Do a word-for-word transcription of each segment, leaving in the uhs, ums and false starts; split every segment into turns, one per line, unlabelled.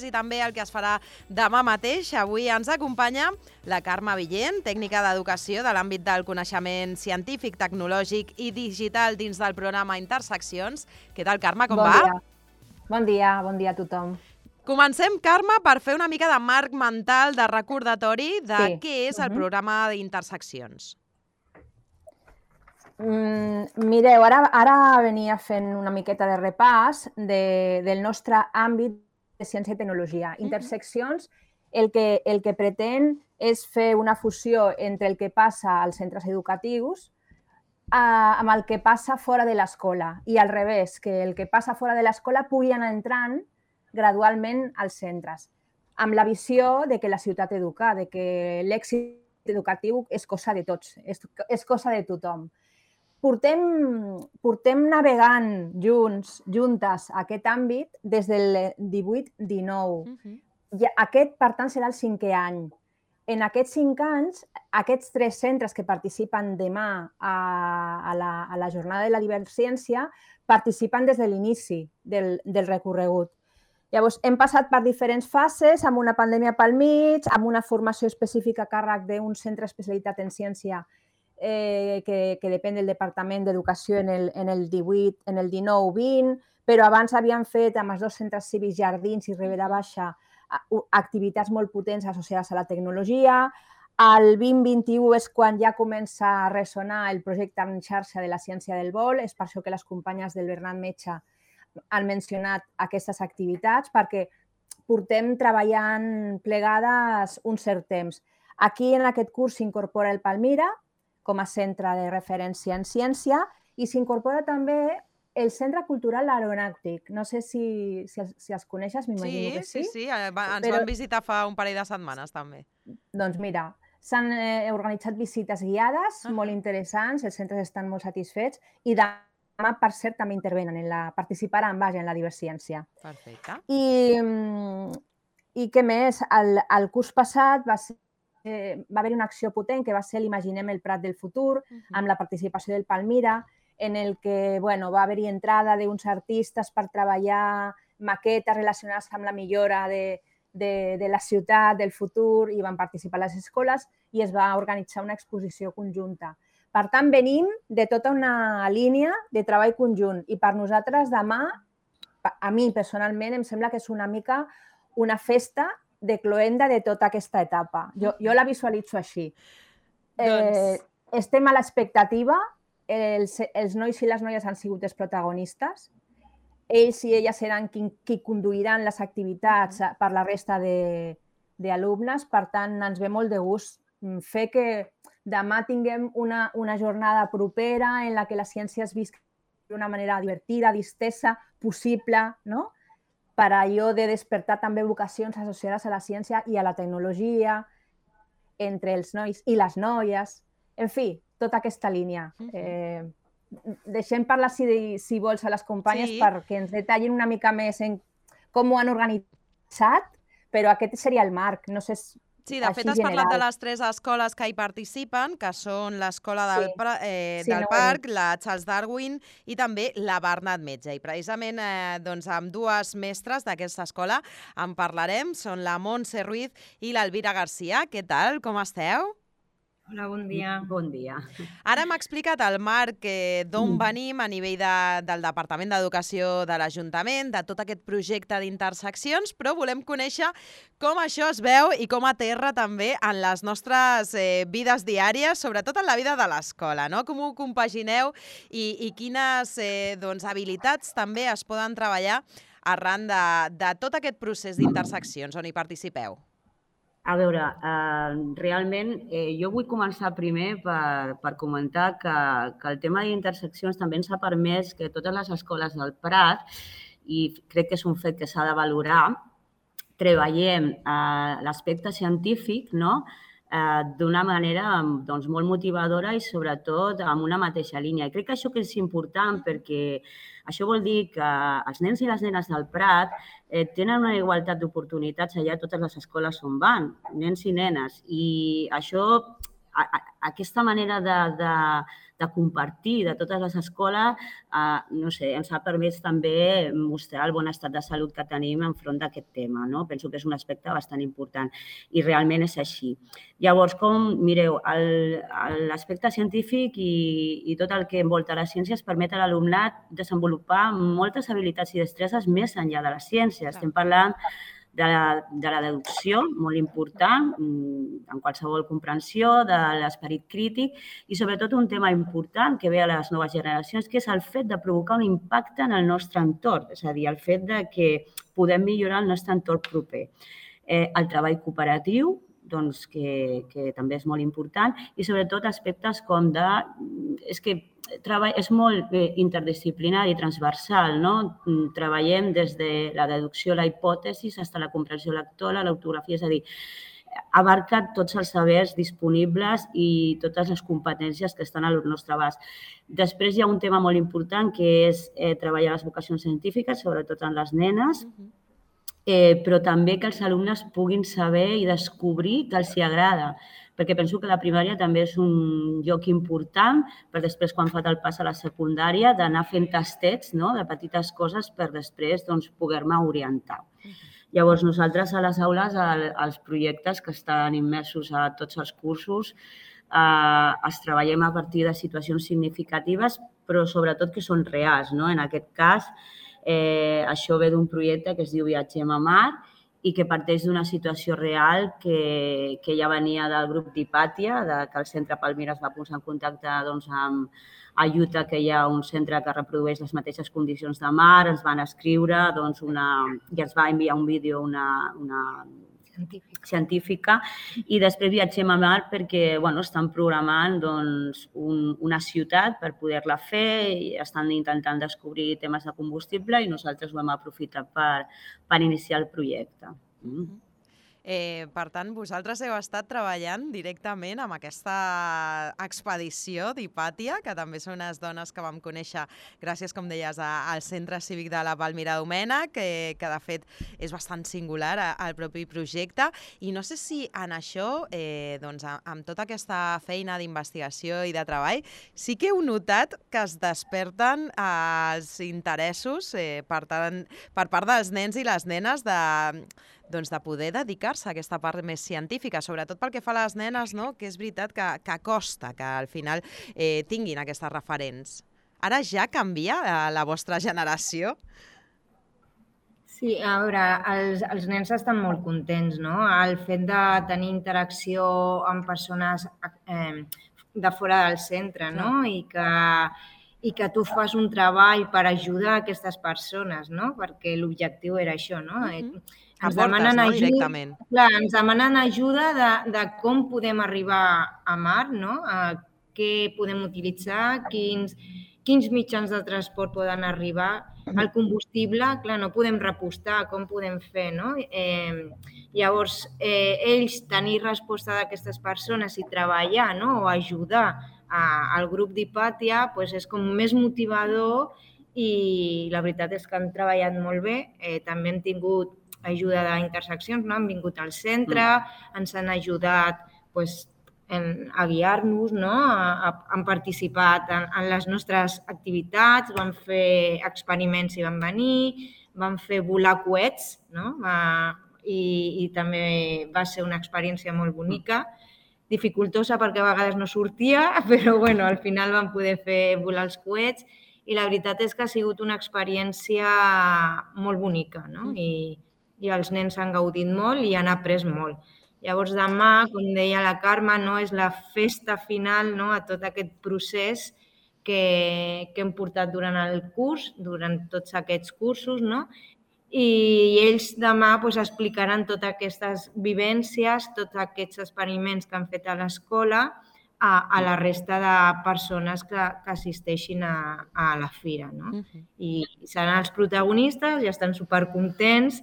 després i també el que es farà demà mateix. Avui ens acompanya la Carme Villent, tècnica d'educació de l'àmbit del coneixement científic, tecnològic i digital dins del programa Interseccions. Què tal, Carme, com
bon
va?
Dia. Bon dia, bon dia a tothom.
Comencem, Carme, per fer una mica de marc mental, de recordatori de
Sí.
què és el
Mhm.
programa d'Interseccions.
Mm, mireu, ara, ara venia fent una miqueta de repàs de, del nostre àmbit de ciència i tecnologia. Interseccions el que, el que pretén és fer una fusió entre el que passa als centres educatius eh, amb el que passa fora de l'escola i al revés, que el que passa fora de l'escola pugui anar entrant gradualment als centres, amb la visió de que la ciutat educa, de que l'èxit educatiu és cosa de tots, és, és cosa de tothom. Portem, portem navegant junts, juntes, aquest àmbit des del divuit dinou.
Uh-huh.
I aquest, per tant, serà el cinquè any. En aquests cinc anys, aquests tres centres que participen demà a, a, la, a la jornada de la diversciència participen des de l'inici del, del recorregut. Llavors, hem passat per diferents fases, amb una pandèmia pel mig, amb una formació específica a càrrec d'un centre especialitat en ciència eh, que, que depèn del Departament d'Educació en el, en el divuit, en el dinou vint, però abans havien fet amb els dos centres cívics Jardins i Ribera Baixa activitats molt potents associades a la tecnologia. El vint vint-i-u és quan ja comença a ressonar el projecte en xarxa de la ciència del vol. És per això que les companyes del Bernat Metge han mencionat aquestes activitats, perquè portem treballant plegades un cert temps. Aquí, en aquest curs, s'incorpora el Palmira com a centre de referència en ciència i s'incorpora també el Centre Cultural Aeronàutic. No sé si, si, si els coneixes, m'imagino
sí,
que sí.
Sí, sí, sí. Ens
però...
van visitar fa un parell de setmanes, també.
Doncs mira, s'han eh, organitzat visites guiades, uh-huh. molt interessants, els centres estan molt satisfets i demà, per cert, també intervenen, en la, participaran, vaja, en la diversciència.
Perfecte.
I, i què més? El, el curs passat va ser eh, va haver una acció potent que va ser l'Imaginem el Prat del futur, uh-huh. amb la participació del Palmira, en el que bueno, va haver-hi entrada d'uns artistes per treballar maquetes relacionades amb la millora de, de, de la ciutat, del futur, i van participar les escoles i es va organitzar una exposició conjunta. Per tant, venim de tota una línia de treball conjunt i per nosaltres demà, a mi personalment, em sembla que és una mica una festa de cloenda de tota aquesta etapa. Jo, jo la visualitzo així.
Doncs...
Eh, estem a l'expectativa, els, els nois i les noies han sigut els protagonistes, ells i elles seran qui, qui conduiran les activitats per la resta d'alumnes, per tant, ens ve molt de gust fer que demà tinguem una, una jornada propera en la que la ciència es visqui d'una manera divertida, distesa, possible, no? Per allò de despertar també vocacions associades a la ciència i a la tecnologia entre els nois i les noies. En fi, tota aquesta línia. Eh, deixem parlar, si, si vols, a les companyes sí. perquè ens detallin una mica més en com ho han organitzat, però aquest seria el marc. No sé si
Sí, de fet, has parlat de les tres escoles que hi participen, que són l'escola del, sí. eh,
sí,
del
no
Parc, la Charles Darwin i també la Bernat Metge. I precisament eh, doncs, amb dues mestres d'aquesta escola en parlarem, són la Montse Ruiz i l'Elvira Garcia. Què tal? Com esteu?
Hola, bon dia.
Bon dia.
Ara hem explicat el marc eh, d'on venim a nivell de, del Departament d'Educació de l'Ajuntament, de tot aquest projecte d'interseccions, però volem conèixer com això es veu i com aterra també en les nostres eh, vides diàries, sobretot en la vida de l'escola, no? Com ho compagineu i, i quines eh, doncs, habilitats també es poden treballar arran de, de tot aquest procés d'interseccions on hi participeu.
A veure, eh, realment eh, jo vull començar primer per, per comentar que, que el tema d'interseccions també ens ha permès que totes les escoles del Prat, i crec que és un fet que s'ha de valorar, treballem eh, l'aspecte científic, no? eh, d'una manera doncs, molt motivadora i sobretot amb una mateixa línia. I crec que això que és important perquè això vol dir que els nens i les nenes del Prat eh, tenen una igualtat d'oportunitats allà a totes les escoles on van, nens i nenes. I això aquesta manera de, de, de compartir de totes les escoles, eh, no sé, ens ha permès també mostrar el bon estat de salut que tenim enfront d'aquest tema, no? Penso que és un aspecte bastant important i realment és així. Llavors, com, mireu, l'aspecte científic i, i tot el que envolta les ciències permet a l'alumnat desenvolupar moltes habilitats i destreses més enllà de la ciència. Estem parlant de la, de la deducció, molt important, en qualsevol comprensió, de l'esperit crític i sobretot un tema important que ve a les noves generacions, que és el fet de provocar un impacte en el nostre entorn, és a dir, el fet de que podem millorar el nostre entorn proper. Eh, el treball cooperatiu, doncs, que, que també és molt important, i sobretot aspectes com de... És que treball és molt interdisciplinari i transversal, no? Treballem des de la deducció, la hipòtesi, fins a la comprensió lectora, l'ortografia, és a dir, abarca tots els sabers disponibles i totes les competències que estan al nostre abast. Després hi ha un tema molt important que és eh, treballar les vocacions científiques, sobretot en les nenes, eh, però també que els alumnes puguin saber i descobrir que els hi agrada, perquè penso que la primària també és un lloc important per després, quan fa el pas a la secundària, d'anar fent tastets, no?, de petites coses per després doncs, poder-me orientar. Llavors, nosaltres a les aules, els projectes que estan immersos a tots els cursos, eh, els treballem a partir de situacions significatives, però sobretot que són reals, no? En aquest cas, eh, això ve d'un projecte que es diu Viatgem a Mar, i que parteix d'una situació real que, que ja venia del grup d'Hipàtia, de, que el Centre Palmira es va posar en contacte doncs, amb a Utah, que hi ha un centre que reprodueix les mateixes condicions de mar, ens van escriure doncs, una, i ens va enviar un vídeo una, una científica. científica i després Viatgem a Mar perquè bueno, estan programant doncs, un, una ciutat per poder-la fer i estan intentant descobrir temes de combustible i nosaltres ho hem aprofitat per, per iniciar el projecte. Mm.
Eh, per tant, vosaltres heu estat treballant directament amb aquesta expedició d'Hipàtia, que també són unes dones que vam conèixer gràcies, com deies, a, al Centre Cívic de la Palmira Domènech, que, que de fet és bastant singular al propi projecte. I no sé si en això, eh, doncs, amb tota aquesta feina d'investigació i de treball, sí que heu notat que es desperten eh, els interessos eh, per, tant, per part dels nens i les nenes de... doncs de poder dedicar-se a aquesta part més científica, sobretot pel que fa a les nenes, no? Que és veritat que, que costa que al final eh, tinguin aquestes referents. Ara ja canvia eh, la vostra generació?
Sí, a veure, els, els nens estan molt contents, no? El fet de tenir interacció amb persones eh, de fora del centre, no? I que, i que tu fas un treball per ajudar aquestes persones, no? Perquè l'objectiu era això, no? Uh-huh. Ens demanen
no?
ajuda,
Directament.
Clar, ens demanen ajuda de, de com podem arribar a mar, no? A què podem utilitzar, quins, quins mitjans de transport poden arribar. El combustible, clar, no podem repostar, com podem fer, no? Eh, llavors, eh, ells tenir resposta d'aquestes persones i treballar, no? O ajudar a, al grup d'Hipàtia pues és com més motivador i la veritat és que han treballat molt bé. Eh, també hem tingut ajuda d'interseccions, no? Han vingut al centre, mm. ens han ajudat pues, en, a guiar-nos, no? A, a, han participat en, en les nostres activitats, van fer experiments i van venir, van fer volar coets, no? Va, i, i també va ser una experiència molt bonica, dificultosa perquè a vegades no sortia, però bueno, al final vam poder fer volar els coets i la veritat és que ha sigut una experiència molt bonica, no? I, i els nens han gaudit molt i han après molt. Llavors, demà, com deia la Carme, no, és la festa final, no, a tot aquest procés que, que hem portat durant el curs, durant tots aquests cursos, no? I ells demà pues, explicaran totes aquestes vivències, tots aquests experiments que han fet a l'escola a, a la resta de persones que, que assisteixin a, a la fira, no? Uh-huh. I seran els protagonistes i estan supercontents,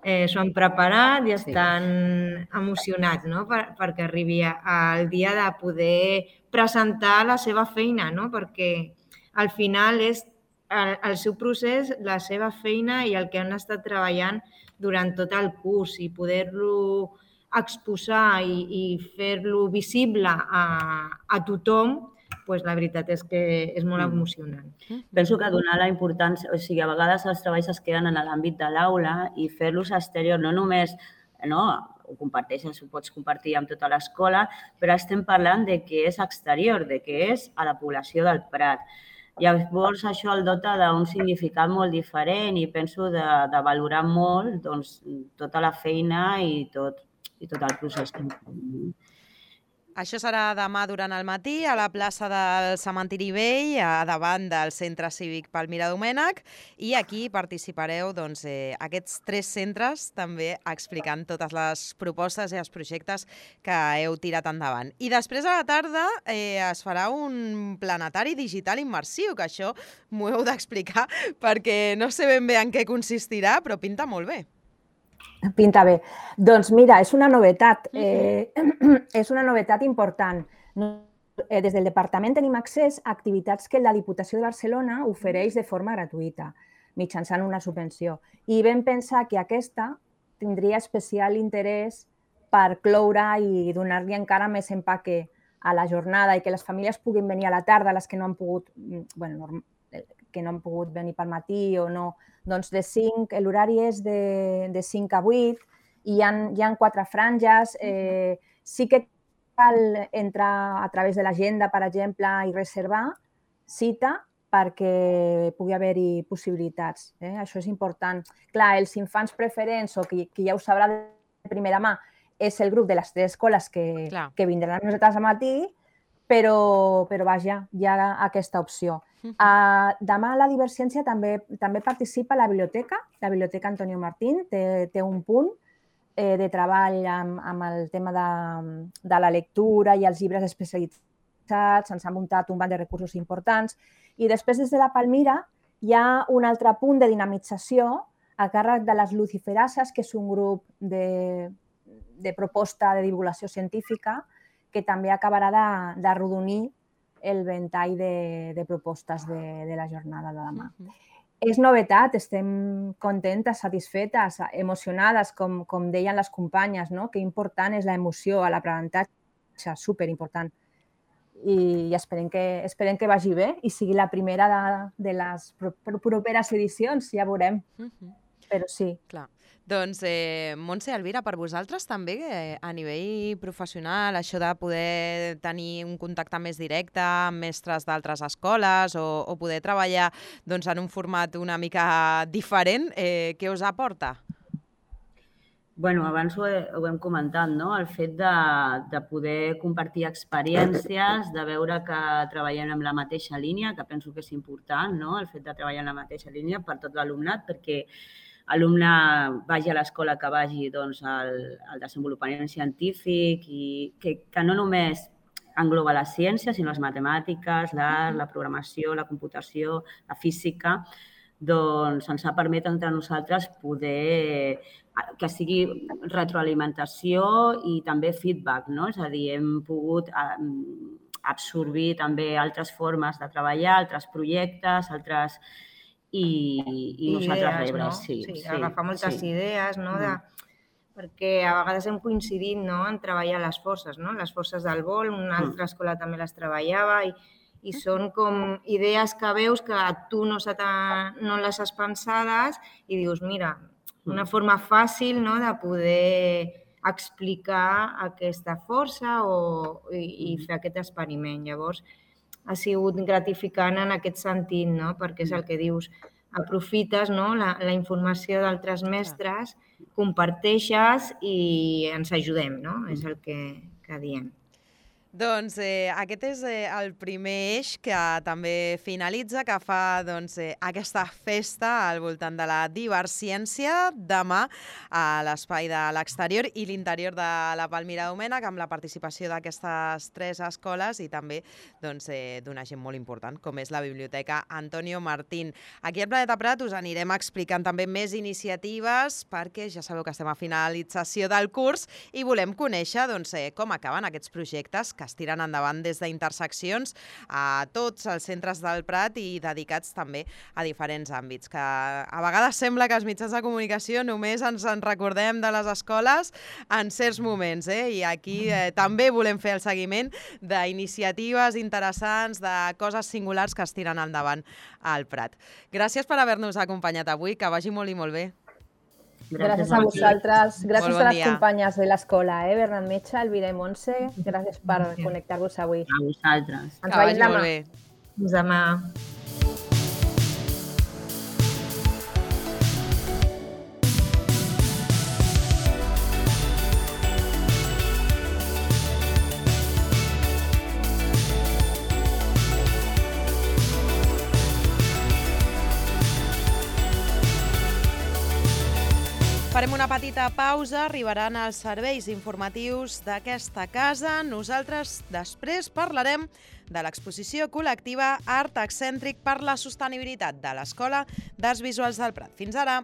eh, s'ho han preparat i estan sí. emocionats, no? Per, perquè arribi el dia de poder presentar la seva feina, no? Perquè al final és el, el seu procés, la seva feina i el que han estat treballant durant tot el curs i poder-lo exposar i, i fer-lo visible a, a tothom, pues la veritat és que és molt emocionant.
Penso que donar la importància, o sigui, a vegades els treballs es queden en l'àmbit de l'aula i fer-los exterior, no només, no, ho comparteixes, ho pots compartir amb tota l'escola, però estem parlant de que és exterior, de que és a la població del Prat. Llavors, això el dota d'un significat molt diferent i penso de, de valorar molt doncs, tota la feina i tot, i tot el procés que hem fet.
Això serà demà durant el matí a la plaça del Cementiri Vell, a davant del Centre Cívic Palmira Domènech, i aquí participareu doncs, eh, aquests tres centres també explicant totes les propostes i els projectes que heu tirat endavant. I després a la tarda eh, es farà un planetari digital immersiu, que això m'ho heu d'explicar perquè no sé ben bé en què consistirà, però pinta molt bé.
Pinta bé. Doncs mira, és una novetat, eh, és una novetat important. Eh, des del departament tenim accés a activitats que la Diputació de Barcelona ofereix de forma gratuïta, mitjançant una subvenció. I vam pensar que aquesta tindria especial interès per cloure i donar-li encara més empaque a la jornada i que les famílies puguin venir a la tarda, les que no han pogut, bueno, que no han pogut venir pel matí o no. Doncs de cinc, l'horari és de, de cinc a vuit i hi ha, hi ha quatre franges. Eh, sí que cal entrar a través de l'agenda, per exemple, i reservar cita perquè pugui haver-hi possibilitats. Eh? Això és important. Clar, els infants preferents, o qui, qui ja ho sabrà de primera mà, és el grup de les tres escoles que, que vindran a nosaltres al matí, però, però vaja, hi ha aquesta opció. Uh, demà a la Diverciència també, també participa la biblioteca, la Biblioteca Antonio Martín, té, té un punt eh, de treball amb, amb el tema de, de la lectura i els llibres especialitzats, ens ha muntat un banc de recursos importants i després des de la Palmira hi ha un altre punt de dinamització a càrrec de les Luciferases, que és un grup de, de proposta de divulgació científica que també acabarà de, de rodonir el ventall de, de propostes de, de la jornada de demà. Uh-huh. És novetat, estem contentes, satisfetes, emocionades, com, com deien les companyes, no? Que important és l'emoció a l'aprenentatge, superimportant. I esperem que, esperem que vagi bé i sigui la primera de, de les properes edicions, ja veurem. Uh-huh. Però sí.
Clar. Doncs, eh, Montse, Elvira, per vosaltres també, eh, a nivell professional, això de poder tenir un contacte més directe amb mestres d'altres escoles o, o poder treballar doncs, en un format una mica diferent, eh, què us aporta?
Bueno, abans ho, he, ho hem comentat, no? El fet de, de poder compartir experiències, de veure que treballem en la mateixa línia, que penso que és important, no? El fet de treballar en la mateixa línia per tot l'alumnat, perquè l'alumne vagi a l'escola que vagi doncs, al, al desenvolupament científic i que, que no només engloba la ciència, sinó les matemàtiques, l'art, la programació, la computació, la física, doncs ens ha permès entre nosaltres poder que sigui retroalimentació i també feedback, no? És a dir, hem pogut absorbir també altres formes de treballar, altres projectes, altres... I, i nosaltres
idees,
rebre,
no?
sí,
sí,
sí.
Agafar moltes
sí.
idees, no? De, perquè a vegades hem coincidit, no? En treballar les forces, no? Les forces del vol, una altra escola també les treballava i, i són com idees que veus que tu no, se no les has pensades i dius, mira, una forma fàcil, no? De poder explicar aquesta força o, i, i fer aquest experiment. Llavors, ha sigut gratificant en aquest sentit, no? Perquè és el que dius, aprofites, no? la, la informació d'altres mestres, comparteixes i ens ajudem, no? És el que, que diem.
Doncs eh, aquest és eh, el primer eix que també finalitza, que fa doncs, eh, aquesta festa al voltant de la Diverciència demà a l'espai de l'exterior i l'interior de la Palmira Domènech, amb la participació d'aquestes tres escoles i també doncs, eh, d'una gent molt important, com és la Biblioteca Antonio Martín. Aquí al Planeta Prat us anirem explicant també més iniciatives perquè ja sabeu que estem a finalització del curs i volem conèixer doncs, eh, com acaben aquests projectes que que es tiren endavant des d'Interseccions a tots els centres del Prat i dedicats també a diferents àmbits, que a vegades sembla que els mitjans de comunicació només ens en recordem de les escoles en certs moments, eh? I aquí eh, també volem fer el seguiment d'iniciatives interessants, de coses singulars que es tiren endavant al Prat. Gràcies per haver-nos acompanyat avui, que vagi molt i molt bé.
Gràcies a vosaltres, gràcies
bon
a les
dia.
companyes de l'escola, eh? Bernat Metge, Elvira i Montse, gràcies per connectar-vos avui.
A vosaltres.
Ens
Que vagi
veiem demà.
molt bé.
Fins demà.
Farem una petita pausa, arribaran els serveis informatius d'aquesta casa. Nosaltres després parlarem de l'exposició col·lectiva Art Excèntric per la Sostenibilitat de l'Escola d'Arts Visuals del Prat. Fins ara!